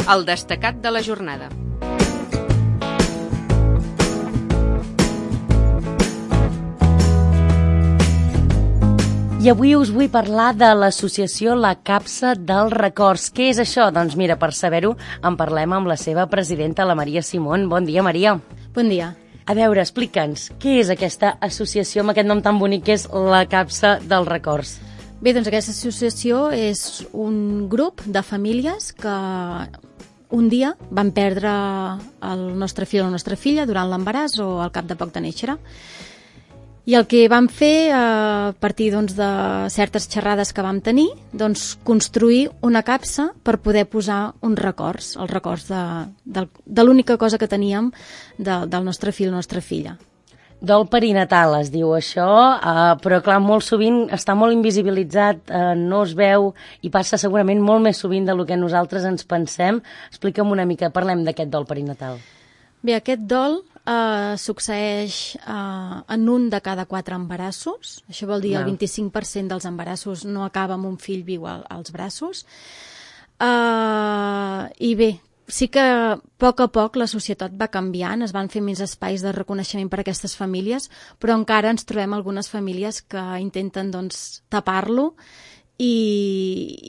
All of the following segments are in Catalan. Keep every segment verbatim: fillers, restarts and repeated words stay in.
El destacat de la jornada. I avui us vull parlar de l'associació La Capsa dels Records. Què és això? Doncs mira, per saber-ho en parlem amb la seva presidenta, la Maria Simón. Bon dia, Maria. Bon dia. A veure, explica'ns, què és aquesta associació amb aquest nom tan bonic que és La Capsa dels Records? Bé, doncs aquesta associació és un grup de famílies que un dia van perdre el nostre fill o la nostra filla durant l'embaràs o al cap de poc de néixer. I el que vam fer, a partir doncs, de certes xerrades que vam tenir, doncs, construir una capsa per poder posar uns records, els records de, de, de l'única cosa que teníem de, del nostre fill o la nostra filla. Dol perinatal es diu això, eh, però clar, molt sovint està molt invisibilitzat, eh, no es veu i passa segurament molt més sovint del que nosaltres ens pensem. Explica'm una mica, parlem d'aquest dol perinatal. Bé, aquest dol Uh, succeeix uh, en un de cada quatre embarassos. Això vol dir no. El vint-i-cinc per cent dels embarassos no acaba amb un fill viu al, als braços. Uh, I bé, sí que a poc a poc la societat va canviant, es van fer més espais de reconeixement per a aquestes famílies, però encara ens trobem algunes famílies que intenten doncs, tapar-lo i,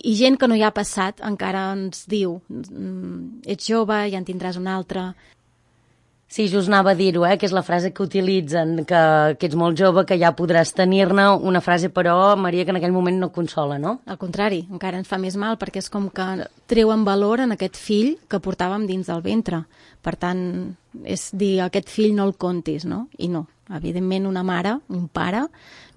i gent que no hi ha passat encara ens diu ets jove, ja en tindràs un altre. Sí, just anava a dir-ho, eh, que és la frase que utilitzen, que, que ets molt jove, que ja podràs tenir-ne, una frase, però, Maria, que en aquell moment no consola, no? Al contrari, encara ens fa més mal, perquè és com que treuen valor en aquest fill que portàvem dins del ventre. Per tant, és dir, aquest fill no el comptis, no? I no. Evidentment, una mare, un pare,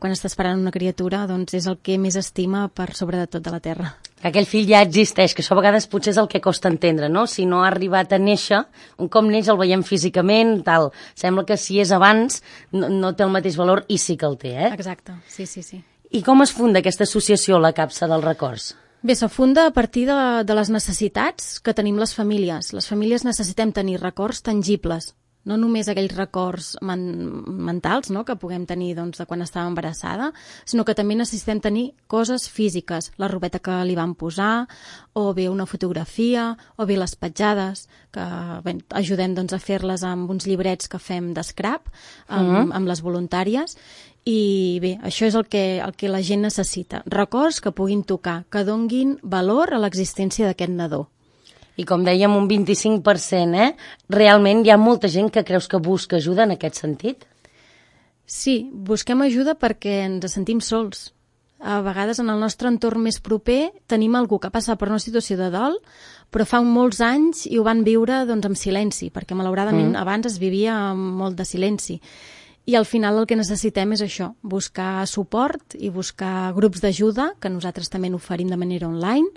quan està esperant una criatura, doncs és el que més estima per sobre de tot de la terra. Aquell fill ja existeix, que això a vegades potser és el que costa entendre, no? Si no ha arribat a néixer, un cop neix el veiem físicament, tal. Sembla que si és abans no, no té el mateix valor i sí que el té, eh? Exacte, sí, sí, sí. I com es funda aquesta associació, La Capsa dels Records? Bé, se funda a partir de, de les necessitats que tenim les famílies. Les famílies necessitem tenir records tangibles, no només aquells records men mentals no, que puguem tenir doncs, de quan estava embarassada, sinó que també necessitem tenir coses físiques, la robeta que li van posar, o bé una fotografia, o bé les petjades, que bé, ajudem doncs, a fer-les amb uns llibrets que fem d'escrap, amb, mm -hmm. amb les voluntàries, i bé, això és el que, el que la gent necessita. Records que puguin tocar, que donguin valor a l'existència d'aquest nadó. I com dèiem, un vint-i-cinc per cent, eh? Realment hi ha molta gent que creus que busca ajuda en aquest sentit? Sí, busquem ajuda perquè ens sentim sols. A vegades en el nostre entorn més proper tenim algú que passa per una situació de dol, però fa molts anys i ho van viure doncs, amb silenci, perquè malauradament mm. abans es vivia amb molt de silenci. I al final el que necessitem és això, buscar suport i buscar grups d'ajuda, que nosaltres també n'oferim de manera online,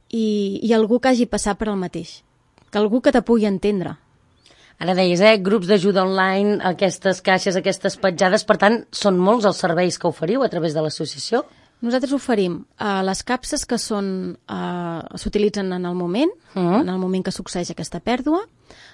I, i algú que hagi passat per el mateix, que algú que te pugui entendre. Ara deies, eh, grups d'ajuda online, aquestes caixes, aquestes petjades, per tant, són molts els serveis que oferiu a través de l'associació? Nosaltres oferim uh, les capses que són uh, s'utilitzen en el moment, uh-huh. en el moment que succeeix aquesta pèrdua.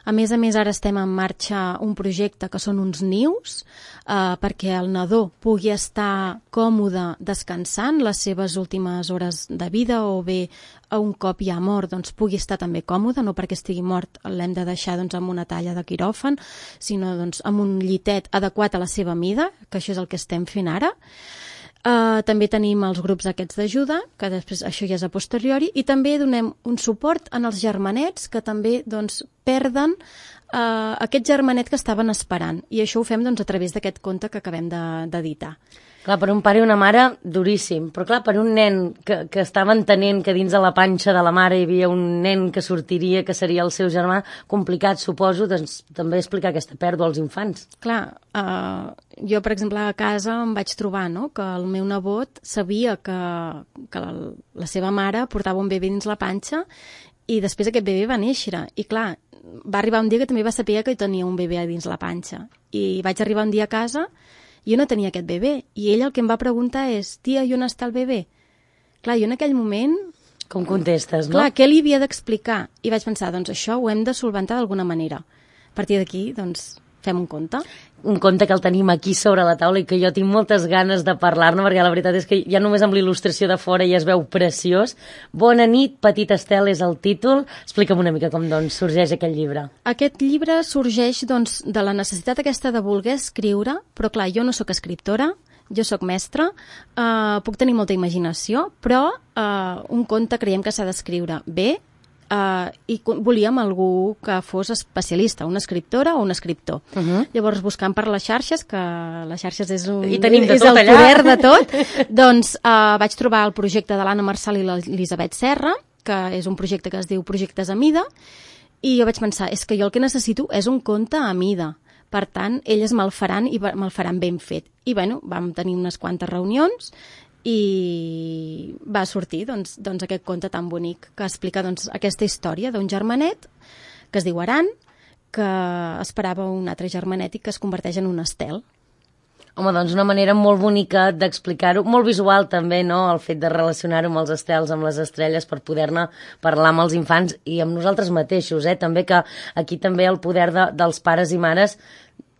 A més a més, ara estem en marxa un projecte que són uns nius uh, perquè el nadó pugui estar còmode descansant les seves últimes hores de vida o bé a un cop ja mort doncs, pugui estar també còmode, no perquè estigui mort l'hem de deixar doncs, amb una talla de quiròfan, sinó doncs, amb un llitet adequat a la seva mida, que això és el que estem fent ara. Uh, també tenim els grups aquests d'ajuda, que després això ja és a posteriori, i també donem un suport en els germanets que també doncs, perden uh, aquest germanet que estaven esperant. I això ho fem doncs, a través d'aquest conte que acabem d'editar. Clar, per un pare i una mare, duríssim. Però clar, per un nen que, que estava entenent que dins de la panxa de la mare hi havia un nen que sortiria, que seria el seu germà, complicat, suposo, doncs també explicar aquesta pèrdua als infants. Clar, uh, jo, per exemple, a casa em vaig trobar no? que el meu nebot sabia que, que la, la seva mare portava un bebè dins la panxa i després aquest bebè va néixer. I clar, va arribar un dia que també va saber que tenia un bebè dins la panxa. I vaig arribar un dia a casa jo no tenia aquest bebè, i ell el que em va preguntar és, tia, i on està el bebè? Clar, jo en aquell moment... Com contestes, no? Clar, què li havia d'explicar? I vaig pensar, doncs això ho hem de solventar d'alguna manera. A partir d'aquí, doncs, fem un conte. Un conte que el tenim aquí sobre la taula i que jo tinc moltes ganes de parlar-ne, perquè la veritat és que ja només amb l'il·lustració de fora ja es veu preciós. Bona nit, Petit Estel és el títol. Explica'm una mica com doncs, sorgeix aquest llibre. Aquest llibre sorgeix doncs, de la necessitat aquesta de voler escriure, però clar, jo no sóc escriptora, jo sóc mestra, eh, puc tenir molta imaginació, però eh, un conte creiem que s'ha d'escriure bé, Uh, i volíem algú que fos especialista, una escriptora o un escriptor. Uh -huh. Llavors, buscant per les xarxes, que les xarxes és, un, I tenim de és tot el allà. poder de tot, doncs uh, vaig trobar el projecte de l'Anna Marçal i l'Elisabet Serra, que és un projecte que es diu Projectes a Mida, i jo vaig pensar, és que jo el que necessito és un conte a mida. Per tant, elles me'l faran i me'l faran ben fet. I bueno, vam tenir unes quantes reunions i va sortir doncs, doncs aquest conte tan bonic que explica doncs, aquesta història d'un germanet que es diu Aran, que esperava un altre germanet i que es converteix en un estel. Home, doncs una manera molt bonica d'explicar-ho, molt visual també, no?, el fet de relacionar-ho amb els estels, amb les estrelles, per poder-ne parlar amb els infants i amb nosaltres mateixos, eh? També que aquí també el poder de, dels pares i mares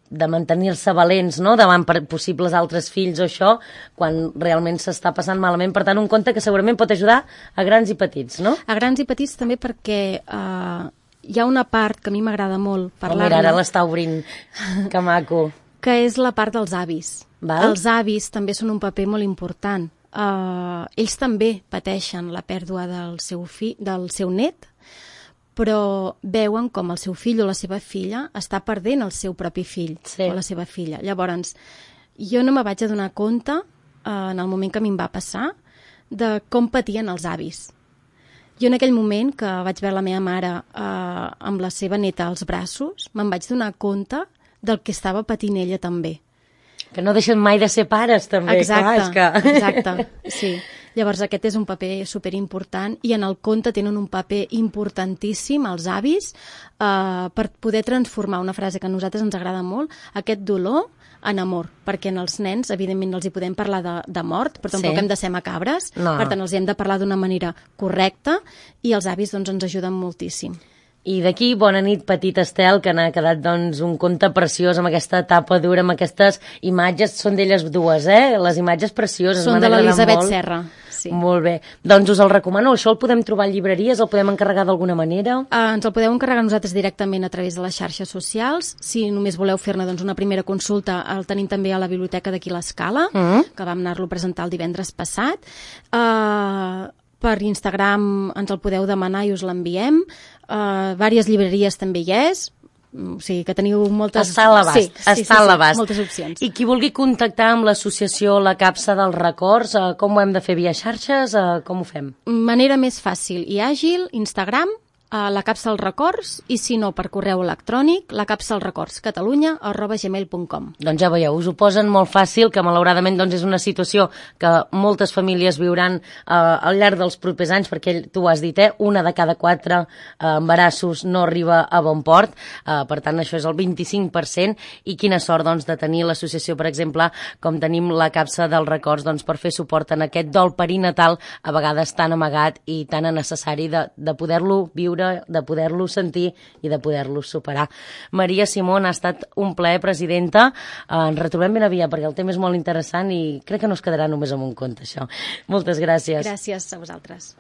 de mantenir-se valents, no?, davant per possibles altres fills o això, quan realment s'està passant malament. Per tant, un conte que segurament pot ajudar a grans i petits, no? A grans i petits també perquè eh, hi ha una part que a mi m'agrada molt parlar-ne. Oh, mira, ara l'està obrint, que maco. Que és la part dels avis. Val? Els avis també són un paper molt important. Uh, ells també pateixen la pèrdua del seu, fi, del seu net, però veuen com el seu fill o la seva filla està perdent el seu propi fill sí. o la seva filla. Llavors, jo no me vaig adonar compte, uh, en el moment que a mi em va passar, de com patien els avis. Jo en aquell moment que vaig veure la meva mare uh, amb la seva neta als braços, me'n vaig donar compte del que estava patint ella també. Que no deixen mai de ser pares, també. Exacte, clar, és que... exacte, sí. Llavors aquest és un paper superimportant i en el conte tenen un paper importantíssim els avis eh, per poder transformar una frase que a nosaltres ens agrada molt, aquest dolor en amor, perquè en els nens evidentment els hi podem parlar de, de mort, però tampoc sí. hem de ser macabres, no. Per tant els hi hem de parlar d'una manera correcta i els avis doncs, ens ajuden moltíssim. I d'aquí, bona nit, Petit Estel, que n'ha quedat doncs, un conte preciós amb aquesta tapa dura, amb aquestes imatges, són d'elles dues, eh? Les imatges precioses. Són de l'Elisabet Serra. Sí. Molt bé. Doncs us el recomano. Això el podem trobar a llibreries? El podem encarregar d'alguna manera? Uh, ens el podeu encarregar nosaltres directament a través de les xarxes socials. Si només voleu fer-ne doncs, una primera consulta, el tenim també a la biblioteca d'aquí l'Escala, uh -huh. que vam anar-lo a presentar el divendres passat. Uh, per Instagram ens el podeu demanar i us l'enviem. Uh, diverses llibreries també hi és. O sigui, que teniu moltes... Està a l'abast, sí, està sí, sí, a l'abast. Sí, moltes opcions. I qui vulgui contactar amb l'associació La Capsa dels Records, eh, com ho hem de fer via xarxes? Eh, com ho fem? Manera més fàcil i àgil, Instagram, a La Capsa dels Records, i si no, per correu electrònic, lacapsalrecordscatalunya arroba gmail punt com. Doncs ja veieu, us ho posen molt fàcil, que malauradament doncs, és una situació que moltes famílies viuran eh, al llarg dels propers anys, perquè tu ho has dit, eh, una de cada quatre eh, embarassos no arriba a bon port, eh, per tant això és el vint-i-cinc per cent, i quina sort doncs, de tenir l'associació, per exemple, com tenim la Capsa dels Records, doncs, per fer suport en aquest dol perinatal, a vegades tan amagat i tan necessari de, de poder-lo viure, de poder-lo sentir i de poder-lo superar. Maria Simón, ha estat un plaer, presidenta. Ens retrobem ben aviat perquè el tema és molt interessant i crec que no es quedarà només amb un conte, això. Moltes gràcies. Gràcies a vosaltres.